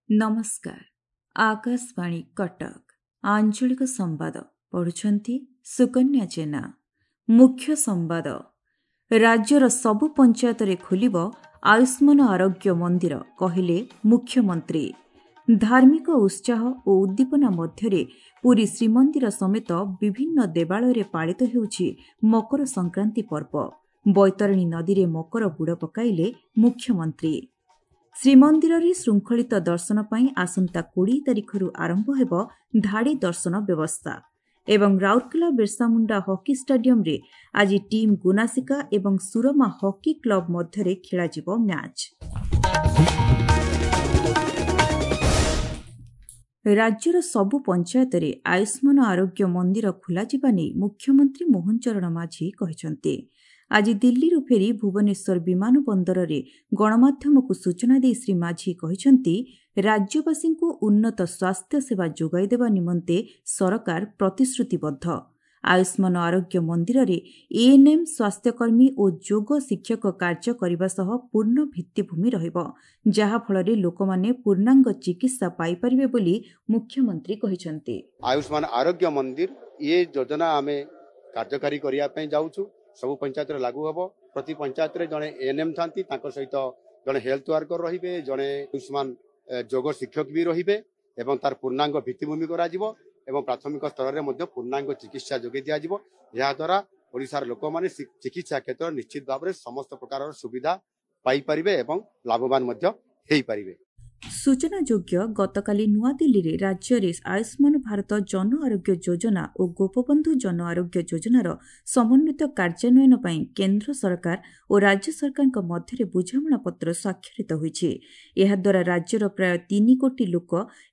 ନମସ୍କାର, ଆକାଶବାଣୀ କଟକ, ଆଞ୍ଚଳିକ ସମ୍ବାଦ ପଢୁଛନ୍ତି ସୁକନ୍ୟା ଜେନା। ମୁଖ୍ୟ ସମ୍ବାଦ। ରାଜ୍ୟର ସବୁ ପଞ୍ଚାୟତରେ ଖୋଲିବ ଆୟୁଷ୍ମାନ ଆରୋଗ୍ୟ ମନ୍ଦିର, କହିଲେ ମୁଖ୍ୟମନ୍ତ୍ରୀ। ଧାର୍ମିକ ଉତ୍ସାହ ଓ ଉଦ୍ଦୀପନା ମଧ୍ୟରେ ପୁରୀ ଶ୍ରୀମନ୍ଦିର ସମେତ ବିଭିନ୍ନ ଦେବାଳୟରେ ପାଳିତ ହେଉଛି ମକର ସଂକ୍ରାନ୍ତି ପର୍ବ। ବୈତରଣୀ ନଦୀରେ ମକର ବୁଡ଼ ପକାଇଲେ ମୁଖ୍ୟମନ୍ତ୍ରୀ। ଶ୍ରୀମନ୍ଦିରରେ ଶୃଙ୍ଖଳିତ ଦର୍ଶନ ପାଇଁ ଆସନ୍ତା 20 ତାରିଖରୁ ଆରମ୍ଭ ହେବ ଧାଡ଼ି ଦର୍ଶନ ବ୍ୟବସ୍ଥା। ଏବଂ ରାଉରକେଲା ବିର୍ସାମୁଣ୍ଡା ହକି ଷ୍ଟାଡିୟମରେ ଆଜି ଟିମ୍ ଗୁନାସିକା ଏବଂ ସୁରମା ହକି କ୍ଲବ ମଧ୍ୟରେ ଖେଳାଯିବ ମ୍ୟାଚ୍। ରାଜ୍ୟର ସବୁ ପଞ୍ଚାୟତରେ ଆୟୁଷ୍ମାନ ଆରୋଗ୍ୟ ମନ୍ଦିର ଖୋଲାଯିବା ନେଇ ମୁଖ୍ୟମନ୍ତ୍ରୀ ମୋହନ ଚରଣ ମାଝୀ କହିଛନ୍ତି। ଆଜି ଦିଲ୍ଲୀରୁ ଫେରି ଭୁବନେଶ୍ୱର ବିମାନ ବନ୍ଦରରେ ଗଣମାଧ୍ୟମକୁ ସୂଚନା ଦେଇ ଶ୍ରୀ ମାଝୀ କହିଛନ୍ତି, ରାଜ୍ୟବାସୀଙ୍କୁ ଉନ୍ନତ ସ୍ୱାସ୍ଥ୍ୟ ସେବା ଯୋଗାଇ ଦେବା ନିମନ୍ତେ ସରକାର ପ୍ରତିଶ୍ରୁତିବଦ୍ଧ। ଆୟୁଷ୍ମାନ ଆରୋଗ୍ୟ ମନ୍ଦିରରେ ଏଏନ୍ଏମ୍, ସ୍ୱାସ୍ଥ୍ୟକର୍ମୀ ଓ ଯୋଗ ଶିକ୍ଷକ କାର୍ଯ୍ୟ କରିବା ସହ ପୂର୍ଣ୍ଣ ଭିତ୍ତିଭୂମି ରହିବ, ଯାହାଫଳରେ ଲୋକମାନେ ପୂର୍ଣ୍ଣାଙ୍ଗ ଚିକିତ୍ସା ପାଇପାରିବେ ବୋଲି ମୁଖ୍ୟମନ୍ତ୍ରୀ କହିଛନ୍ତି। ଆୟୁଷ୍ମାନ ଆରୋଗ୍ୟ ମନ୍ଦିର ଇଏ ଯୋଜନା ଆମେ କାର୍ଯ୍ୟକାରୀ କରିବା ପାଇଁ ଯାଉଛୁ। ସବୁ ପଞ୍ଚାୟତରେ ଲାଗୁ ହେବ। ପ୍ରତି ପଞ୍ଚାୟତରେ ଜଣେ ଏଏନ୍ଏମ୍ ଥାନ୍ତି, ତାଙ୍କ ସହିତ ଜଣେ ହେଲ୍ଥ ୱାର୍କର ରହିବେ, ଜଣେ ଆୟୁଷ୍ମାନ ଯୋଗ ଶିକ୍ଷକ ବି ରହିବେ ଏବଂ ତାର ପୂର୍ଣ୍ଣାଙ୍ଗ ଭିତ୍ତିଭୂମି କରାଯିବ ଏବଂ ପ୍ରାଥମିକ ସ୍ତରରେ ମଧ୍ୟ ପୂର୍ଣ୍ଣାଙ୍ଗ ଚିକିତ୍ସା ଯୋଗାଇ ଦିଆଯିବ। ଏହାଦ୍ୱାରା ଓଡ଼ିଶାର ଲୋକମାନେ ଚିକିତ୍ସା କ୍ଷେତ୍ରରେ ନିଶ୍ଚିତ ଭାବରେ ସମସ୍ତ ପ୍ରକାରର ସୁବିଧା ପାଇପାରିବେ ଏବଂ ଲାଭବାନ ମଧ୍ୟ ହେଇପାରିବେ। ସୂଚନାଯୋଗ୍ୟ, ଗତକାଲି ନୂଆଦିଲ୍ଲୀରେ ରାଜ୍ୟରେ ଆୟୁଷ୍ମାନ ଭାରତ ଜନ ଆରୋଗ୍ୟ ଯୋଜନା ଓ ଗୋପବନ୍ଧୁ ଜନ ଆରୋଗ୍ୟ ଯୋଜନାର ସମନ୍ୱିତ କାର୍ଯ୍ୟାନ୍ୱୟନ ପାଇଁ କେନ୍ଦ୍ର ସରକାର ଓ ରାଜ୍ୟ ସରକାରଙ୍କ ମଧ୍ୟରେ ବୁଝାମଣାପତ୍ର ସ୍ୱାକ୍ଷରିତ ହୋଇଛି। ଏହାଦ୍ୱାରା ରାଜ୍ୟର ପ୍ରାୟ 3 କୋଟି ଲୋକ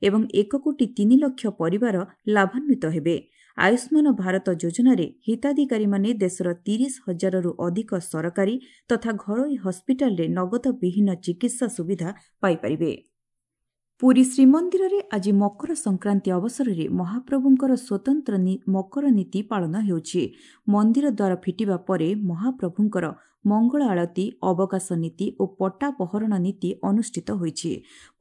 ଏବଂ 1 କୋଟି 3 ଲକ୍ଷ ପରିବାର ଲାଭାନ୍ୱିତ ହେବେ। ଆୟୁଷ୍ମାନ ଭାରତ ଯୋଜନାରେ ହିତାଧିକାରୀମାନେ ଦେଶର 30 ହଜାରରୁ ଅଧିକ ସରକାରୀ ତଥା ଘରୋଇ ହସ୍ପିଟାଲରେ ନଗଦ ବିହୀନ ଚିକିତ୍ସା ସୁବିଧା ପାଇପାରିବେ। ପୁରୀ ଶ୍ରୀମନ୍ଦିରରେ ଆଜି ମକର ସଂକ୍ରାନ୍ତି ଅବସରରେ ମହାପ୍ରଭୁଙ୍କର ସ୍ୱତନ୍ତ୍ର ମକର ନୀତି ପାଳନ ହେଉଛି। ମନ୍ଦିର ଦ୍ୱାର ଫିଟିବା ପରେ ମହାପ୍ରଭୁଙ୍କର ମଙ୍ଗଳ ଆଳତୀ, ଅବକାଶ ନୀତି ଓ ପଟା ପହରଣ ନୀତି ଅନୁଷ୍ଠିତ ହୋଇଛି।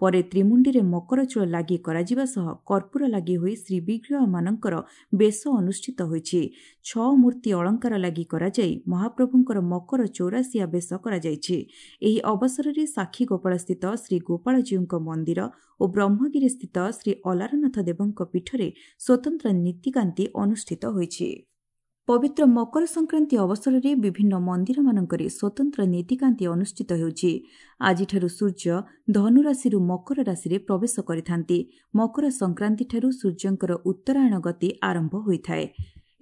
ପରେ ତ୍ରିମୁଣ୍ଡିରେ ମକର ଚୂଳ ଲାଗି କରାଯିବା ସହ କର୍ପୂର ଲାଗି ହୋଇ ଶ୍ରୀବିଗ୍ରହମାନଙ୍କର ବେଶ ଅନୁଷ୍ଠିତ ହୋଇଛି। 6 ମୂର୍ତ୍ତି ଅଳଙ୍କାର ଲାଗି କରାଯାଇ ମହାପ୍ରଭୁଙ୍କର ମକର ଚୌରାଶିଆ ବେଶ କରାଯାଇଛି। ଏହି ଅବସରରେ ସାକ୍ଷୀଗୋପାଳସ୍ଥିତ ଶ୍ରୀ ଗୋପାଳଜୀଉଙ୍କ ମନ୍ଦିର ଓ ବ୍ରହ୍ମଗିରିସ୍ଥିତ ଶ୍ରୀ ଅଲାରନାଥ ଦେବଙ୍କ ପୀଠରେ ସ୍ୱତନ୍ତ୍ର ନୀତିକାନ୍ତି ଅନୁଷ୍ଠିତ ହୋଇଛି। ପବିତ୍ର ମକର ସଂକ୍ରାନ୍ତି ଅବସରରେ ବିଭିନ୍ନ ମନ୍ଦିରମାନଙ୍କରେ ସ୍ୱତନ୍ତ୍ର ନୀତିକାନ୍ତି ଅନୁଷ୍ଠିତ ହେଉଛି। ଆଜିଠାରୁ ସୂର୍ଯ୍ୟ ଧନୁରାଶିରୁ ମକର ରାଶିରେ ପ୍ରବେଶ କରିଥାନ୍ତି। ମକର ସଂକ୍ରାନ୍ତିଠାରୁ ସୂର୍ଯ୍ୟଙ୍କର ଉତ୍ତରାୟଣ ଗତି ଆରମ୍ଭ ହୋଇଥାଏ।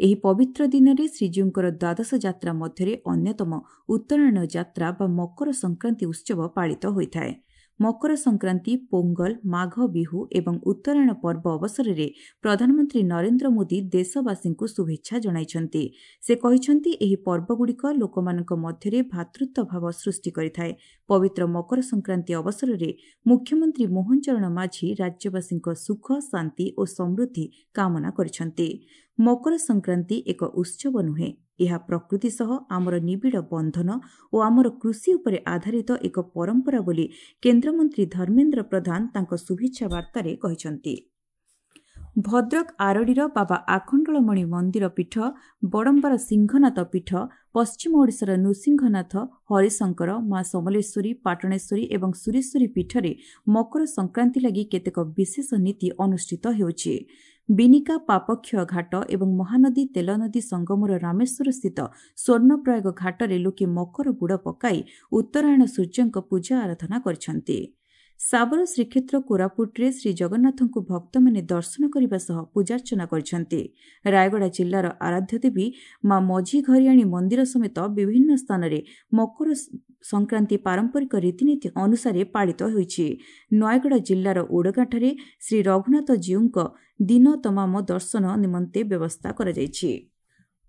ଏହି ପବିତ୍ର ଦିନରେ ଶ୍ରୀଜୀଉଙ୍କର ଦ୍ୱାଦଶ ଯାତ୍ରା ମଧ୍ୟରେ ଅନ୍ୟତମ ଉତ୍ତରାୟଣ ଯାତ୍ରା ବା ମକର ସଂକ୍ରାନ୍ତି ଉତ୍ସବ ପାଳିତ ହୋଇଥାଏ। ମକର ସଂକ୍ରାନ୍ତି, ପୋଙ୍ଗଲ, ମାଘ ବିହୁ ଏବଂ ଉତ୍ତରାୟଣ ପର୍ବ ଅବସରରେ ପ୍ରଧାନମନ୍ତ୍ରୀ ନରେନ୍ଦ୍ର ମୋଦି ଦେଶବାସୀଙ୍କୁ ଶୁଭେଚ୍ଛା ଜଣାଇଛନ୍ତି। ସେ କହିଛନ୍ତି, ଏହି ପର୍ବଗୁଡ଼ିକ ଲୋକମାନଙ୍କ ମଧ୍ୟରେ ଭ୍ରାତୃତ୍ୱ ଭାବ ସୃଷ୍ଟି କରିଥାଏ। ପବିତ୍ର ମକର ସଂକ୍ରାନ୍ତି ଅବସରରେ ମୁଖ୍ୟମନ୍ତ୍ରୀ ମୋହନ ଚରଣ ମାଝୀ ରାଜ୍ୟବାସୀଙ୍କ ସୁଖ, ଶାନ୍ତି ଓ ସମୃଦ୍ଧି କାମନା କରିଛନ୍ତି। ମକର ସଂକ୍ରାନ୍ତି ଏକ ଉତ୍ସବ ନୁହେଁ, ଏହା ପ୍ରକୃତି ସହ ଆମର ନିବିଡ଼ ବନ୍ଧନ ଓ ଆମର କୃଷି ଉପରେ ଆଧାରିତ ଏକ ପରମ୍ପରା ବୋଲି କେନ୍ଦ୍ରମନ୍ତ୍ରୀ ଧର୍ମେନ୍ଦ୍ର ପ୍ରଧାନ ତାଙ୍କ ଶୁଭେଚ୍ଛା ବାର୍ତ୍ତାରେ କହିଛନ୍ତି। ଭଦ୍ରକ ଆରଡ଼ିର ବାବା ଆଖଣ୍ଡଳମଣି ମନ୍ଦିର ପୀଠ, ବଡ଼ମ୍ବାର ସିଂହନାଥ ପୀଠ, ପଶ୍ଚିମ ଓଡ଼ିଶାର ନୃସିଂହନାଥ, ହରିଶଙ୍କର, ମା ସମଲେଶ୍ୱରୀ, ପାଟଣେଶ୍ୱରୀ ଏବଂ ସୁରେଶ୍ୱରୀ ପୀଠରେ ମକର ସଂକ୍ରାନ୍ତି ଲାଗି କେତେକ ବିଶେଷ ନୀତି ଅନୁଷ୍ଠିତ ହେଉଛି। ବିନିକା ପାପକ୍ଷୟ ଘାଟ ଏବଂ ମହାନଦୀ ତେଲନଦୀ ସଙ୍ଗମର ରାମେଶ୍ୱରସ୍ଥିତ ସ୍ୱର୍ଣ୍ଣପ୍ରୟାଗ ଘାଟରେ ଲୋକେ ମକର ବୁଡ଼ ପକାଇ ଉତ୍ତରାୟଣ ସୂର୍ଯ୍ୟଙ୍କ ପୂଜା ଆରାଧନା କରିଛନ୍ତି। ଶାବର ଶ୍ରୀକ୍ଷେତ୍ର କୋରାପୁଟରେ ଶ୍ରୀଜଗନ୍ନାଥଙ୍କୁ ଭକ୍ତମାନେ ଦର୍ଶନ କରିବା ସହ ପୂଜାର୍ଚ୍ଚନା କରିଛନ୍ତି। ରାୟଗଡ଼ା ଜିଲ୍ଲାର ଆରାଧ୍ୟ ଦେବୀ ମା ମଝିଘରିଆଣୀ ମନ୍ଦିର ସମେତ ବିଭିନ୍ନ ସ୍ଥାନରେ ମକର ସଂକ୍ରାନ୍ତି ପାରମ୍ପରିକ ରୀତିନୀତି ଅନୁସାରେ ପାଳିତ ହୋଇଛି। ନୟାଗଡ଼ ଜିଲ୍ଲାର ଓଡ଼ଗାଁଠାରେ ଶ୍ରୀ ରଘୁନାଥ ଜୀଉଙ୍କ ଦିନ ତମାମ ଦର୍ଶନ ନିମନ୍ତେ ବ୍ୟବସ୍ଥା କରାଯାଇଛି।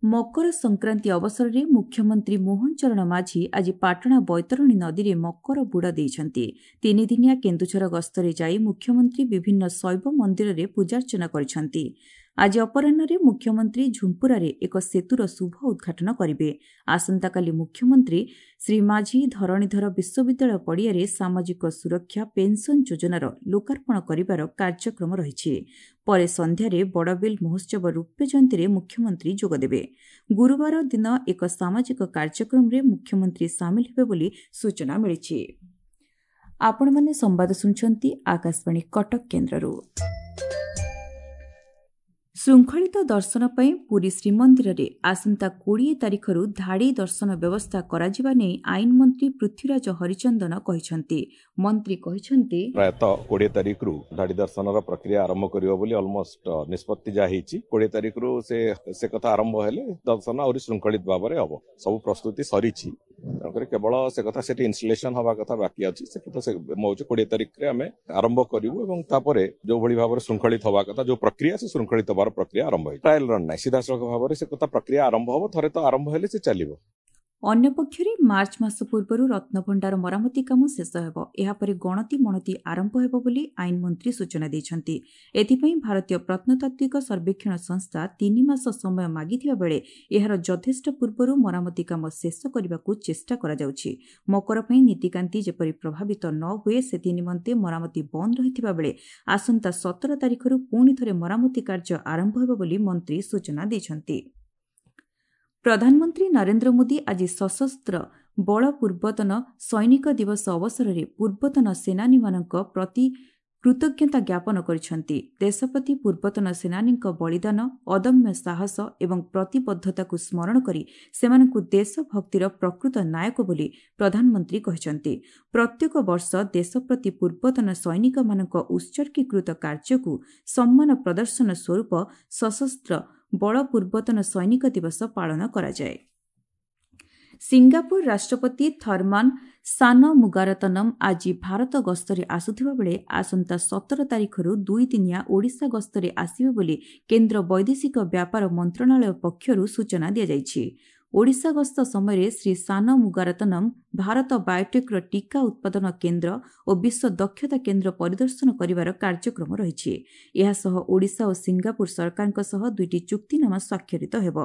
ମକର ସଂକ୍ରାନ୍ତି ଅବସରରେ ମୁଖ୍ୟମନ୍ତ୍ରୀ ମୋହନ ଚରଣ ମାଝୀ ଆଜି ପାଟଣା ବୈତରଣୀ ନଦୀରେ ମକର ବୁଡ଼ ଦେଇଛନ୍ତି। ତିନିଦିନିଆ କେନ୍ଦୁଝର ଗସ୍ତରେ ଯାଇ ମୁଖ୍ୟମନ୍ତ୍ରୀ ବିଭିନ୍ନ ଶୈବ ମନ୍ଦିରରେ ପୂଜାର୍ଚ୍ଚନା କରିଛନ୍ତି। ଆଜି ଅପରାହ୍ନରେ ମୁଖ୍ୟମନ୍ତ୍ରୀ ଝୁମ୍ପୁରାରେ ଏକ ସେତୁର ଶୁଭ ଉଦ୍ଘାଟନ କରିବେ। ଆସନ୍ତାକାଲି ମୁଖ୍ୟମନ୍ତ୍ରୀ ଶ୍ରୀ ମାଝୀ ଧରଣୀଧର ବିଶ୍ୱବିଦ୍ୟାଳୟ ପଡ଼ିଆରେ ସାମାଜିକ ସୁରକ୍ଷା ପେନ୍ସନ୍ ଯୋଜନାର ଲୋକାର୍ପଣ କରିବାର କାର୍ଯ୍ୟକ୍ରମ ରହିଛି। ପରେ ସନ୍ଧ୍ୟାରେ ବଡ଼ବିଲ ମହୋତ୍ସବ ରୌପ୍ୟ ଜୟନ୍ତୀରେ ମୁଖ୍ୟମନ୍ତ୍ରୀ ଯୋଗଦେବେ। ଗୁରୁବାର ଦିନ ଏକ ସାମାଜିକ କାର୍ଯ୍ୟକ୍ରମରେ ମୁଖ୍ୟମନ୍ତ୍ରୀ ସାମିଲ ହେବେ ବୋଲି ସୂଚନା ମିଳିଛି। ଆପଣମାନେ ସମ୍ବାଦ ଶୁଣୁଛନ୍ତି ଆକାଶବାଣୀ କଟକ କେନ୍ଦ୍ରରୁ। ଶୃଙ୍ଖଳିତ ଦର୍ଶନ ପାଇଁ ପୁରୀ ଶ୍ରୀମନ୍ଦିରରେ ଆସନ୍ତା 20 ତାରିଖରୁ ଧାଡ଼ି ଦର୍ଶନ ବ୍ୟବସ୍ଥା କରାଯିବା ନେଇ ଆଇନ ମନ୍ତ୍ରୀ ପୃଥ୍ୱୀରାଜ ହରିଚନ୍ଦନ କହିଛନ୍ତି। ମନ୍ତ୍ରୀ କହିଛନ୍ତି, ପ୍ରାୟତଃ 20 ତାରିଖରୁ ଧାଡ଼ି ଦର୍ଶନର ପ୍ରକ୍ରିୟା ଆରମ୍ଭ କରିବ ବୋଲି ଅଲମୋଷ୍ଟ ନିଷ୍ପତ୍ତି ଯାହା ହେଇଛି। 20 ତାରିଖରୁ ସେ କଥା ଆରମ୍ଭ ହେଲେ ଦର୍ଶନ ଆହୁରି ଶୃଙ୍ଖଳିତ ଭାବରେ ହବ। ସବୁ ପ୍ରସ୍ତୁତି ସରିଛି, ତେଣୁକରି କେବଳ ସେ କଥା ସେଠି ଇନଷ୍ଟଲେସନ ହବା କଥା ବାକି ଅଛି। ସେ କଥା ମୁଁ ଭାବୁଛି 20 ତାରିଖରେ ଆମେ ଆରମ୍ଭ କରିବୁ ଏବଂ ତାପରେ ଯୋଉଭଳି ଭାବରେ ଶୃଙ୍ଖଳିତ ହବା କଥା, ଯୋଉ ପ୍ରକ୍ରିୟା, ସେ ଶୃଙ୍ଖଳିତ ହବାର ପ୍ରକ୍ରିୟା ଆରମ୍ଭ ହେଇଛି। ଟ୍ରାଏଲ ରନ୍ ନାହିଁ, ସିଧାସଳଖ ଭାବରେ ସେ କଥା ପ୍ରକ୍ରିୟା ଆରମ୍ଭ ହବ। ଥରେ ତ ଆରମ୍ଭ ହେଲେ ସେ ଚାଲିବ। ଅନ୍ୟପକ୍ଷରେ ମାର୍ଚ୍ଚ ମାସ ପୂର୍ବରୁ ରତ୍ନଭଣ୍ଡାର ମରାମତି କାମ ଶେଷ ହେବ। ଏହାପରେ ଗଣତି ମଣତି ଆରମ୍ଭ ହେବ ବୋଲି ଆଇନ ମନ୍ତ୍ରୀ ସୂଚନା ଦେଇଛନ୍ତି। ଏଥିପାଇଁ ଭାରତୀୟ ପ୍ରତ୍ନତାତ୍ତ୍ୱିକ ସର୍ବେକ୍ଷଣ ସଂସ୍ଥା 3 ମାସ ସମୟ ମାଗିଥିବା ବେଳେ ଏହାର ଯଥେଷ୍ଟ ପୂର୍ବରୁ ମରାମତି କାମ ଶେଷ କରିବାକୁ ଚେଷ୍ଟା କରାଯାଉଛି। ମକର ପାଇଁ ନୀତିକାନ୍ତି ଯେପରି ପ୍ରଭାବିତ ନ ହୁଏ ସେଥି ନିମନ୍ତେ ମରାମତି ବନ୍ଦ ରହିଥିବା ବେଳେ ଆସନ୍ତା 17 ତାରିଖରୁ ପୁଣି ଥରେ ମରାମତି କାର୍ଯ୍ୟ ଆରମ୍ଭ ହେବ ବୋଲି ମନ୍ତ୍ରୀ ସୂଚନା ଦେଇଛନ୍ତି। ପ୍ରଧାନମନ୍ତ୍ରୀ ନରେନ୍ଦ୍ର ମୋଦି ଆଜି ସଶସ୍ତ୍ର ବଳ ପୂର୍ବତନ ସୈନିକ ଦିବସ ଅବସରରେ ପୂର୍ବତନ ସେନାନୀମାନଙ୍କ ପ୍ରତି କୃତଜ୍ଞତା ଜ୍ଞାପନ କରିଛନ୍ତି। ଦେଶ ପ୍ରତି ପୂର୍ବତନ ସେନାନୀଙ୍କ ବଳିଦାନ, ଅଦମ୍ୟ ସାହସ ଏବଂ ପ୍ରତିବଦ୍ଧତାକୁ ସ୍ମରଣ କରି ସେମାନଙ୍କୁ ଦେଶଭକ୍ତିର ପ୍ରକୃତ ନାୟକ ବୋଲି ପ୍ରଧାନମନ୍ତ୍ରୀ କହିଛନ୍ତି। ପ୍ରତ୍ୟେକ ବର୍ଷ ଦେଶ ପ୍ରତି ପୂର୍ବତନ ସୈନିକମାନଙ୍କ ଉତ୍ସର୍ଗୀକୃତ କାର୍ଯ୍ୟକୁ ସମ୍ମାନ ପ୍ରଦର୍ଶନ ସ୍ୱରୂପ ସଶସ୍ତ୍ର ବଳ ପୂର୍ବତନ ସୈନିକ ଦିବସ ପାଳନ କରାଯାଏ। ସିଙ୍ଗାପୁର ରାଷ୍ଟ୍ରପତି ଥର୍ମାନ ସାନମୁଗାରତନମ୍ ଆଜି ଭାରତ ଗସ୍ତରେ ଆସୁଥିବା ବେଳେ ଆସନ୍ତା 17 ତାରିଖରୁ 2 ଦିନିଆ ଓଡ଼ିଶା ଗସ୍ତରେ ଆସିବେ ବୋଲି କେନ୍ଦ୍ର ବୈଦେଶିକ ବ୍ୟାପାର ମନ୍ତ୍ରଣାଳୟ ପକ୍ଷରୁ ସୂଚନା ଦିଆଯାଇଛି। ଓଡ଼ିଶା ଗସ୍ତ ସମୟରେ ଶ୍ରୀ ସାନମୁଗାରତନମ୍ ଭାରତ ବାୟୋଟେକ୍ର ଟିକା ଉତ୍ପାଦନ କେନ୍ଦ୍ର ଓ ବିଶ୍ୱ ଦକ୍ଷତା କେନ୍ଦ୍ର ପରିଦର୍ଶନ କରିବାର କାର୍ଯ୍ୟକ୍ରମ ରହିଛି। ଏହାସହ ଓଡ଼ିଶା ଓ ସିଙ୍ଗାପୁର ସରକାରଙ୍କ ସହ 2ଟି ଚୁକ୍ତିନାମା ସ୍ୱାକ୍ଷରିତ ହେବ।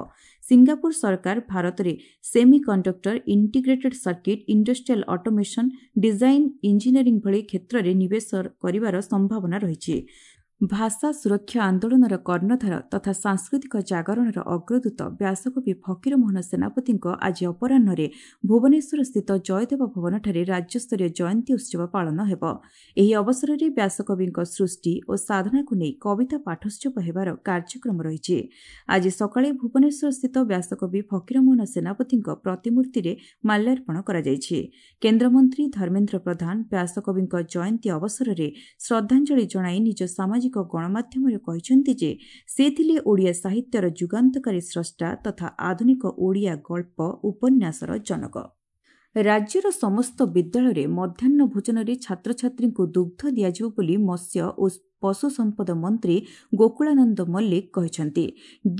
ସିଙ୍ଗାପୁର ସରକାର ଭାରତରେ semiconductor, integrated circuit, industrial automation, design engineering ଭଳି କ୍ଷେତ୍ରରେ ନିବେଶ କରିବାର ସମ୍ଭାବନା ରହିଛି। ଭାଷା ସୁରକ୍ଷା ଆନ୍ଦୋଳନର କର୍ଣ୍ଣଧାର ତଥା ସାଂସ୍କୃତିକ ଜାଗରଣର ଅଗ୍ରଦୂତ ବ୍ୟାସକବି ଫକୀରମୋହନ ସେନାପତିଙ୍କ ଆଜି ଅପରାହ୍ନରେ ଭୁବନେଶ୍ୱରସ୍ଥିତ ଜୟଦେବ ଭବନଠାରେ ରାଜ୍ୟସ୍ତରୀୟ ଜୟନ୍ତୀ ଉତ୍ସବ ପାଳନ ହେବ। ଏହି ଅବସରରେ ବ୍ୟାସକବିଙ୍କ ସୃଷ୍ଟି ଓ ସାଧନାକୁ ନେଇ କବିତା ପାଠୋତ୍ସବ ହେବାର କାର୍ଯ୍ୟକ୍ରମ ରହିଛି। ଆଜି ସକାଳେ ଭୁବନେଶ୍ୱରସ୍ଥିତ ବ୍ୟାସକବି ଫକୀରମୋହନ ସେନାପତିଙ୍କ ପ୍ରତିମୂର୍ତ୍ତିରେ ମାଲ୍ୟାର୍ପଣ କରାଯାଇଛି। କେନ୍ଦ୍ରମନ୍ତ୍ରୀ ଧର୍ମେନ୍ଦ୍ର ପ୍ରଧାନ ବ୍ୟାସକବିଙ୍କ ଜୟନ୍ତୀ ଅବସରରେ ଶ୍ରଦ୍ଧାଞ୍ଜଳି ଜଣାଇ ନିଜ ସାମାଜିକ ଗଣମାଧ୍ୟମରେ କହିଛନ୍ତି ଯେ ସେ ଥିଲେ ଓଡ଼ିଆ ସାହିତ୍ୟର ଯୁଗାନ୍ତକାରୀ ସ୍ରଷ୍ଟା ତଥା ଆଧୁନିକ ଓଡ଼ିଆ ଗଳ୍ପ ଉପନ୍ୟାସର ଜନକ। ରାଜ୍ୟର ସମସ୍ତ ବିଦ୍ୟାଳୟରେ ମଧ୍ୟାହ୍ନ ଭୋଜନରେ ଛାତ୍ରଛାତ୍ରୀଙ୍କୁ ଦୁଗ୍ଧ ଦିଆଯିବ ବୋଲି ମତ୍ସ୍ୟ ଓ ପଶୁ ସମ୍ପଦ ମନ୍ତ୍ରୀ ଗୋକୁଳାନନ୍ଦ ମଲ୍ଲିକ କହିଛନ୍ତି।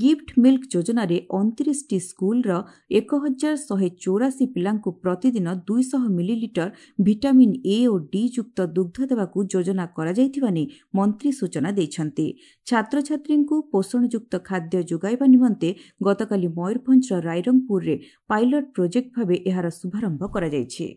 ଗିଫ୍ଟ ମିଲ୍କ ଯୋଜନାରେ 29ଟି ସ୍କୁଲର 1184 ପିଲାଙ୍କୁ ପ୍ରତିଦିନ 200 millilitre vitamin A O D ଯୁକ୍ତ ଦୁଗ୍ଧ ଦେବାକୁ ଯୋଜନା କରାଯାଇଥିବା ନେଇ ମନ୍ତ୍ରୀ ସୂଚନା ଦେଇଛନ୍ତି। ଛାତ୍ରଛାତ୍ରୀଙ୍କୁ ପୋଷଣଯୁକ୍ତ ଖାଦ୍ୟ ଯୋଗାଇବା ନିମନ୍ତେ ଗତକାଲି ମୟୂରଭଞ୍ଜର ରାଇରଙ୍ଗପୁରରେ ପାଇଲଟ ପ୍ରୋଜେକ୍ଟ ଭାବେ ଏହାର ଶୁଭାରମ୍ଭ କରାଯାଇଛି।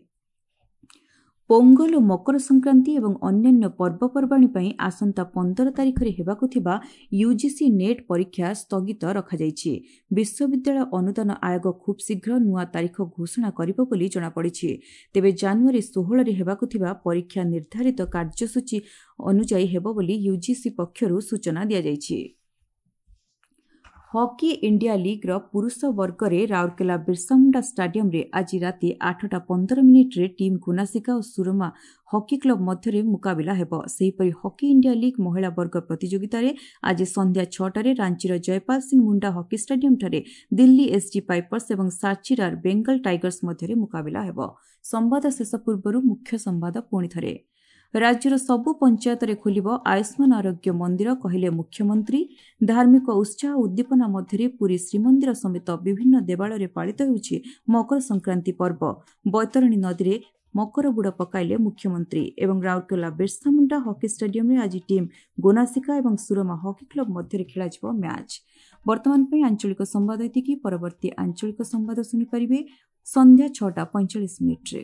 ପୋଙ୍ଗଲ ଓ ମକର ସଂକ୍ରାନ୍ତି ଏବଂ ଅନ୍ୟାନ୍ୟ ପର୍ବପର୍ବାଣୀ ପାଇଁ ଆସନ୍ତା 15 ତାରିଖରେ ହେବାକୁ ଥିବା ୟୁଜିସି ନେଟ୍ ପରୀକ୍ଷା ସ୍ଥଗିତ ରଖାଯାଇଛି। ବିଶ୍ୱବିଦ୍ୟାଳୟ ଅନୁଦାନ ଆୟୋଗ ଖୁବ୍ ଶୀଘ୍ର ନୂଆ ତାରିଖ ଘୋଷଣା କରିବ ବୋଲି ଜଣାପଡ଼ିଛି। ତେବେ ଜାନୁଆରୀ 16ରେ ହେବାକୁ ଥିବା ପରୀକ୍ଷା ନିର୍ଦ୍ଧାରିତ କାର୍ଯ୍ୟସୂଚୀ ଅନୁଯାୟୀ ହେବ ବୋଲି ୟୁଜିସି ପକ୍ଷରୁ ସୂଚନା ଦିଆଯାଇଛି। ହକି ଇଣ୍ଡିଆ ଲିଗ୍ର ପୁରୁଷ ବର୍ଗରେ ରାଉରକେଲା ବିର୍ସାମୁଣ୍ଡା ଷ୍ଟାଡିୟମରେ ଆଜି ରାତି 8ଟା 15 ମିନିଟ୍ରେ ଟିମ୍ ଗୁନାସିକା ଓ ସୁରମା ହକି କ୍ଲବ ମଧ୍ୟରେ ମୁକାବିଲା ହେବ। ସେହିପରି ହକି ଇଣ୍ଡିଆ ଲିଗ୍ ମହିଳା ବର୍ଗ ପ୍ରତିଯୋଗିତାରେ ଆଜି ସନ୍ଧ୍ୟା 6ଟାରେ ରାଞ୍ଚିର ଜୟପାଲ ସିଂ ମୁଣ୍ଡା ହକି ଷ୍ଟାଡିୟମଠାରେ ଦିଲ୍ଲୀ ଏସ୍ଡି ପାଇପର୍ସ ଏବଂ ସାତଖିରାର ବେଙ୍ଗଲ ଟାଇଗର୍ସ ମଧ୍ୟରେ ମୁକାବିଲା ହେବ। ସମ୍ବାଦ ଶେଷ ପୂର୍ବରୁ ମୁଖ୍ୟ ସମ୍ବାଦ ପୁଣିଥରେ। ରାଜ୍ୟର ସବୁ ପଞ୍ଚାୟତରେ ଖୋଲିବ ଆୟୁଷ୍ମାନ ଆରୋଗ୍ୟ ମନ୍ଦିର, କହିଲେ ମୁଖ୍ୟମନ୍ତ୍ରୀ। ଧାର୍ମିକ ଉତ୍ସାହ ଉଦ୍ଦୀପନା ମଧ୍ୟରେ ପୁରୀ ଶ୍ରୀମନ୍ଦିର ସମେତ ବିଭିନ୍ନ ଦେବାଳୟରେ ପାଳିତ ହେଉଛି ମକର ସଂକ୍ରାନ୍ତି ପର୍ବ। ବୈତରଣୀ ନଦୀରେ ମକର ବୁଡ଼ ପକାଇଲେ ମୁଖ୍ୟମନ୍ତ୍ରୀ। ଏବଂ ରାଉରକେଲା ବିର୍ସା ମୁଣ୍ଡା ହକି ଷ୍ଟାଡିୟମରେ ଆଜି ଟିମ୍ ଗୋନାସିକା ଏବଂ ସୁରମା ହକି କ୍ଲବ ମଧ୍ୟରେ ଖେଳାଯିବ ମ୍ୟାଚ୍। ବର୍ତ୍ତମାନ ପାଇଁ ଆଞ୍ଚଳିକ ସମ୍ବାଦ ଏତିକି। ପରବର୍ତ୍ତୀ ଆଞ୍ଚଳିକ ସମ୍ବାଦ ଶୁଣିପାରିବେ ସନ୍ଧ୍ୟା 6ଟା 45 ମିନିଟ୍ରେ।